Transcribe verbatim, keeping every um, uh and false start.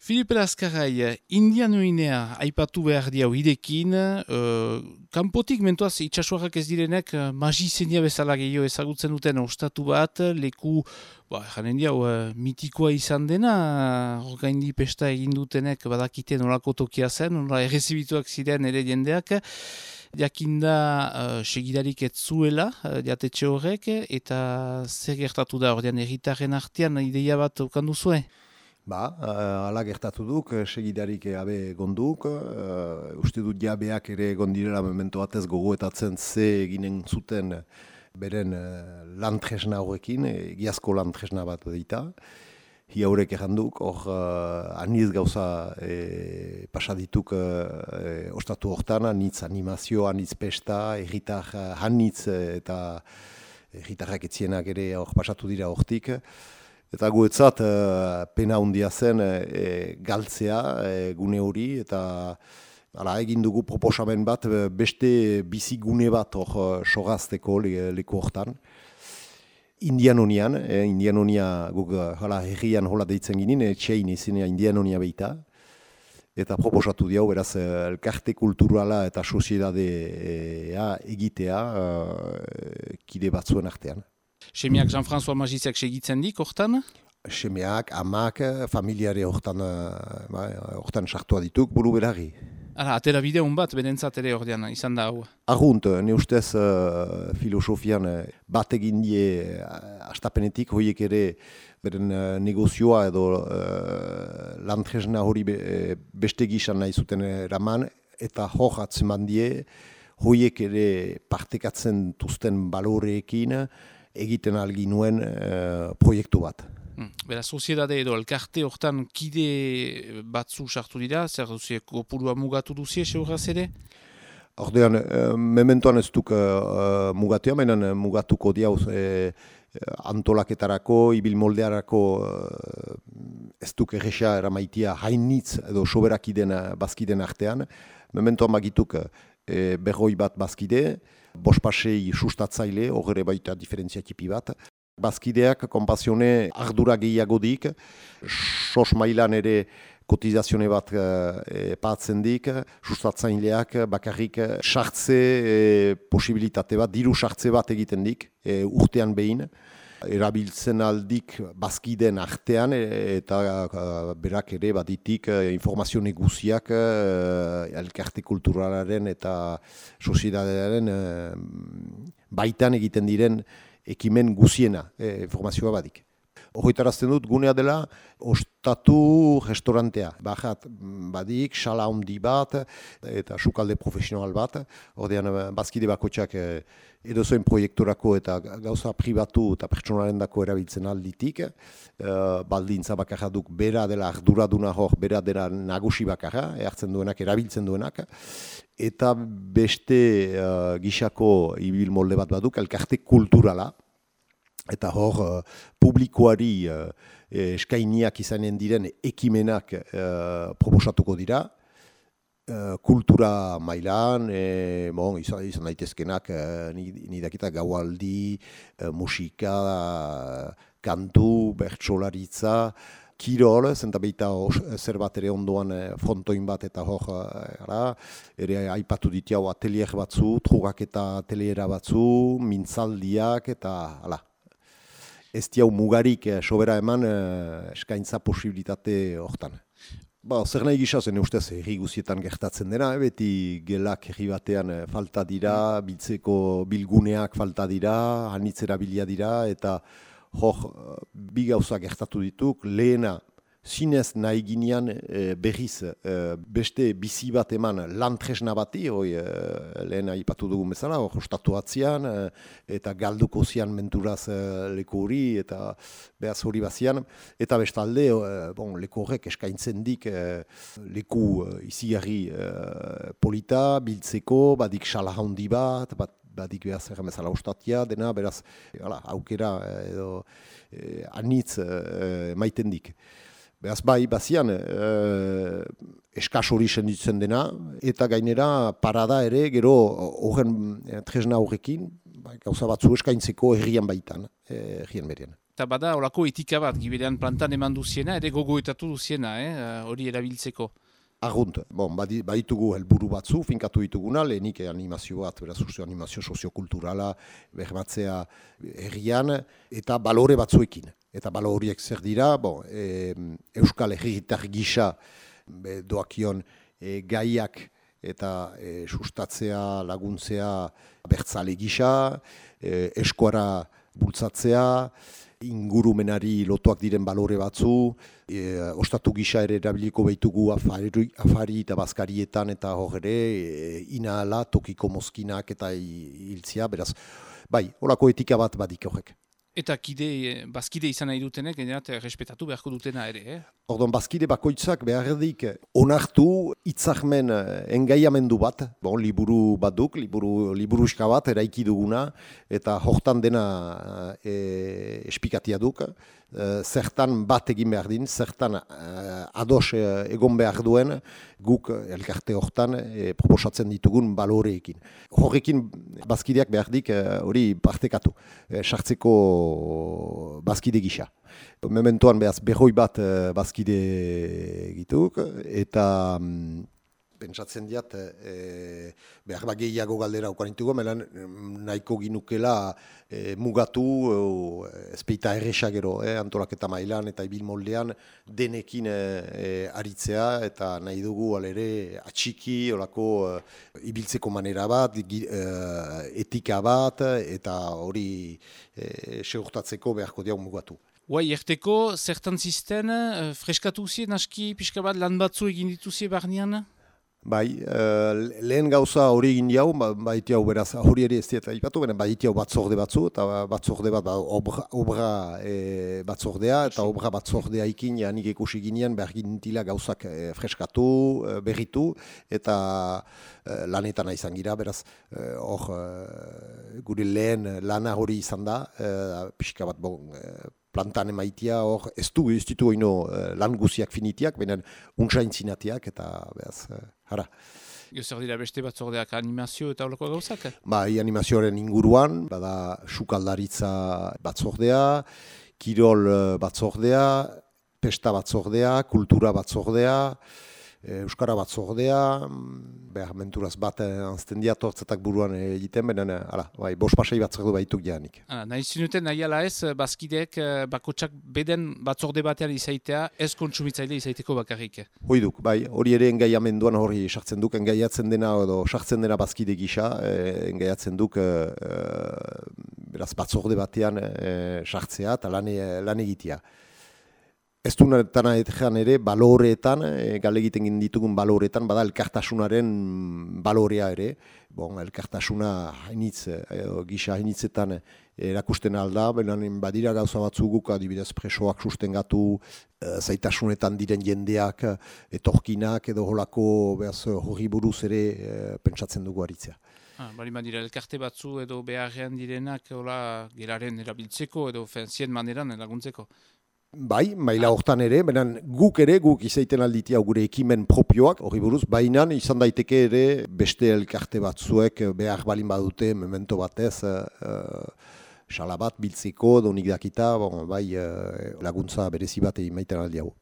Filipe Lazkarai, indianoinea aipatu behar diau idekin, uh, kanpotik mentuaz itxasuarrak ez direnek uh, magizenia bezala gehiago ezagutzen duten ostatu bat, leku, ba, janen diau, uh, mitikoa izan dena, orgaindi pesta egin dutenek badakite nolako tokia zen, nola errezibituak ziren ere jendeak, jakinda uh, segidarik ez zuela, uh, jatetxe horrek, eta zer gertatu da ordean erritarren artean ideia bat ukandu zuen? Ba, ala gertatu duk, segidarik abe gonduk, uh, uste dut jabeak ere gondirela memento batez gogoetatzen ze eginen zuten beren uh, lantresna horrekin, egiazko lantresna bat dita. Hi haurek erranduk, hor uh, aniz gauza e, pasadituk uh, ostatu hortan, anitz animazio, anitz pesta, erritar hanitz eta erritarrak etzienak ere hor pasatu dira hortik. Eta guetzat uh, pena handia zen e, galtzea e, gune hori, eta ala, egin dugu proposamen bat beste bizigune bat hor sogazteko le, leku hortan. Indianonian, e, Indianonia guk hala herrian hola deitzen ginen, etxein izenea Indianonia beita. Eta proposatu diau, beraz, elkarte kulturala eta soziedadea egitea uh, kide batzuen artean. Semiak Jean-François Magiziak segitzen dik, hortan? Semeak, amak, familiare hortan, ba, hortan sartua dituk, buru berari. Hala, atera bideun bat, berentzat ere ordean, izan da hau. Argunt, ne ustez uh, filosofian bat egin die uh, astapenetik, hoiek ere beren uh, negozioa edo uh, lantresna hori be, beste gisan nahi zuten eraman, eta hor atzeman die, hoiek ere partekatzen tuzten baloreekin, egiten algi nuen uh, proiektu bat. Hmm. Bera, soziedade edo elkarte hortan kide batzu sartu dira, zer duzie, kopurua mugatu duzie, seuraz ere? Ordean, uh, mementoan ez duk uh, mugatua, baina mugatuko diauz eh, antolaketarako, ibil moldearako uh, ez duk erresa eramaitia hainitz edo soberakiden bazkiden artean. Mementoan magituk eh, berroi bat bazkide, bospasei sustatzaile, horre baita diferentzia tipi bat. Bazkideak, konpazione, ardura gehiago dik, sos mailan ere kotizazione bat e, patzen dik, sustatzaileak bakarrik sartze e, posibilitate bat, diru sartze bat egiten dik, e, urtean behin. Erabiltzen aldik bazkideen artean e, eta a, berak ere baditik e, informazio neguziak e, elkarte kulturalaren eta soziedadearen e, baitan egiten diren ekimen guziena e, informazioa badik. Horretarazten dut gunea dela ostatu restaurantea. Bajat badik, sala handi bat eta sukalde profesional bat. Ordean bazkide bakotxak edozoen proiektorako eta gauza pribatu eta pertsonalen dako erabiltzen alditik. E, baldintza bakarra duk bera dela arduraduna hor, bera dela nagusi bakarra, hartzen duenak, erabiltzen duenak. Eta beste uh, gixako ibil molde bat baduk, elkarte kulturala. Eta hor, uh, publikoari uh, eskainiak izanen diren ekimenak uh, proposatuko dira. Uh, kultura mailan, e, bon, izan, izan daitezkenak, uh, nidakita gaualdi, uh, musika, uh, kantu, bertsolaritza, kirol, zenta beita zer bat ere ondoan frontoin bat eta hor, ara, ere aipatu ditiau atelier batzu, trugaketa ateliera batzu, mintzaldiak eta hala. Ez diau mugarik sobera eman eskaintza posibilitate hortan. Ba, zer nahi gisa zen ustez herri guzietan gertatzen dena, beti gelak herri batean falta dira, biltzeko bilguneak falta dira, anitzera bilia dira, eta hor, bi gauza gertatu dituk, lehena, zinez nahi ginean e, berriz e, beste bizi bat eman lantresna bati, hoi, e, lehen aipatu dugun bezala, hor, ostatu atzian, e, eta galduko zian menturaz e, leku hori, eta behaz hori bazian, eta bestalde, e, bon, leku horrek eskaintzen dik e, leku e, izigarri e, polita, biltzeko, badik sala handi bat, bat badik behaz erremezala ostatia, dena, beraz, hala, aukera edo e, anitz e, maiten dik. Beraz, bai, bazian, e, eskas hori senditzen dena, eta gainera parada ere, gero horren tresna horrekin, bai, gauza batzu eskaintzeko herrian baitan, herrian berean. Eta bada, olako etika bat, giberean plantan eman duziena, ere gogoetatu duziena, eh, hori erabiltzeko. Argunt, bon, badi- baditugu helburu batzu, finkatu dituguna, lehenik animazio bat, beraz uste animazio soziokulturala, bermatzea herrian, eta balore batzuekin. Eta balore horiek zer dira, bon, e, Euskal Herritar gisa be, doakion e, gaiak eta e, sustatzea, laguntzea bertzale gisa, e, eskuara bultzatzea, ingurumenari lotuak diren balore batzu, e, ostatu gisa ere erabiliko behitugu afari, afari eta bazkarietan eta hor ere, e, inahala, tokiko mozkinak eta hiltzia, beraz, bai, horako etika bat badik horrek. Eta kide, bazkide izan nahi dutenek, generat, respetatu beharko dutena ere, eh? Ordon, bazkide bakoitzak behardik onartu itzahmen engaiamendu bat, bon, liburu bat duk, liburu, liburuska bat eraiki duguna, eta hortan dena e, espikatia duk, e, zertan bat egin behar din, zertan e, ados e, egon behar duen, guk elkarte hortan e, proposatzen ditugun baloreekin. Horrekin bazkideak behardik hori partekatu, e, sartzeko bazkide gisa. Mementoan behaz behoi bat uh, bazkide egituk, eta um, pentsatzen diat e, behar bat gehiago galdera ukanituko, melan nahiko ginukela e, mugatu e, ezpeita erresa gero, e, antolaketa mailan eta ibil moldean denekin e, e, aritzea, eta nahi dugu alere atxiki, olako e, ibiltzeko manera bat, gi, e, etika bat, eta hori e, segurtatzeko beharko diau mugatu. Guai, erteko, zertan zisten, freskatu zien aski pixka bat lan batzu egin dituzie barnean? Bai, uh, lehen gauza hori egin jau, baiti hau beraz, hori ere ez dieta ipatu, baina baiti hau batzorde batzu, eta batzorde bat ba, obra, obra e, batzordea, eta obra batzordea ikin, janik ikusi ginean, behar gintila gauzak e, freskatu, e, berritu, eta e, lanetan izan gira, beraz, hor, e, gure lehen lana hori izan da, e, pixka bat bon, e, plantan emaitia, hor, ez du, ez ditu oino lan guziak finitiak, baina untsain zinatiak, eta behaz, hara. Zer dira beste batzordeak animazio eta holako gauzak? Bai, animazioaren inguruan, bada sukaldaritza batzordea, kirol batzordea, pesta batzordea, kultura batzordea, euskara batzordea, behar menturaz bat anzten diatortzetak buruan egiten, baina, ala, bai, bos pasai batzordu baituk janik. Nahi zinuten, nahi ala ez, bazkideek bakotsak beden batzorde batean izaitea, ez kontsumitzaile izaiteko bakarrik. Hoiduk, bai, hori ere engaiamenduan hori sartzen duk, engaiatzen dena edo sartzen dena bazkide gisa, eh, engaiatzen duk eh, beraz batzorde batean eh, sartzea eta lan, lan egitea. Ez du nartana etean ere, baloreetan, e, gale egiten ditugun baloreetan, bada elkartasunaren balorea ere. Bon, elkartasuna hainitz, e, gisa hainitzetan erakusten alda, benen badira gauza batzuguk, adibidez presoak sustengatu, e, zaitasunetan diren jendeak, etorkinak edo holako behaz hori buruz ere e, pentsatzen dugu aritzea. Ah, bali badira elkarte batzu edo beharrean direnak hola, geraren erabiltzeko edo fenzien maneran laguntzeko. Bai, maila hortan ere, benen guk ere, guk izaiten alditia gure ekimen propioak, hori buruz, baina izan daiteke ere beste elkarte batzuek behar balin badute, memento batez, salabat, biltzeko, donik dakita, bon, bai, laguntza berezi bat egin maiten aldiago.